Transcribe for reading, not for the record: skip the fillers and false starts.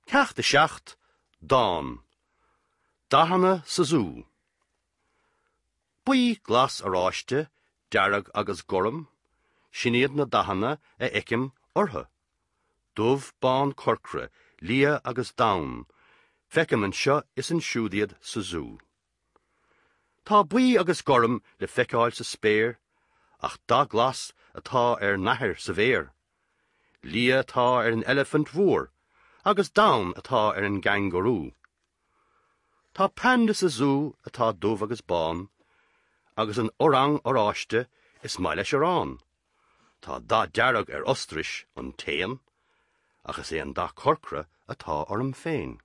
Ceacht 7, Dán. Dathanna sa Zú. Buí, glas, oráiste, dearg agus gorm, sin iad na dathanna a fheicim orthu. Dubh, bán, corcra, liath agus donn, feicim anseo is ansiúd iad sa zú. Tá buí agus gorm le feiceáil sa spéir, ach dath glas atá ar nathair sa bhféar. Liath atá ar an eilifint mhór agus donn atá ar an gcangarú. Tá panda sa zú atá dubh agus bán, agus an orang oráiste is maith leis arán. Tá dath dearg ar ostrais, an t-éan, ach is é an dath corcra atá orm féin.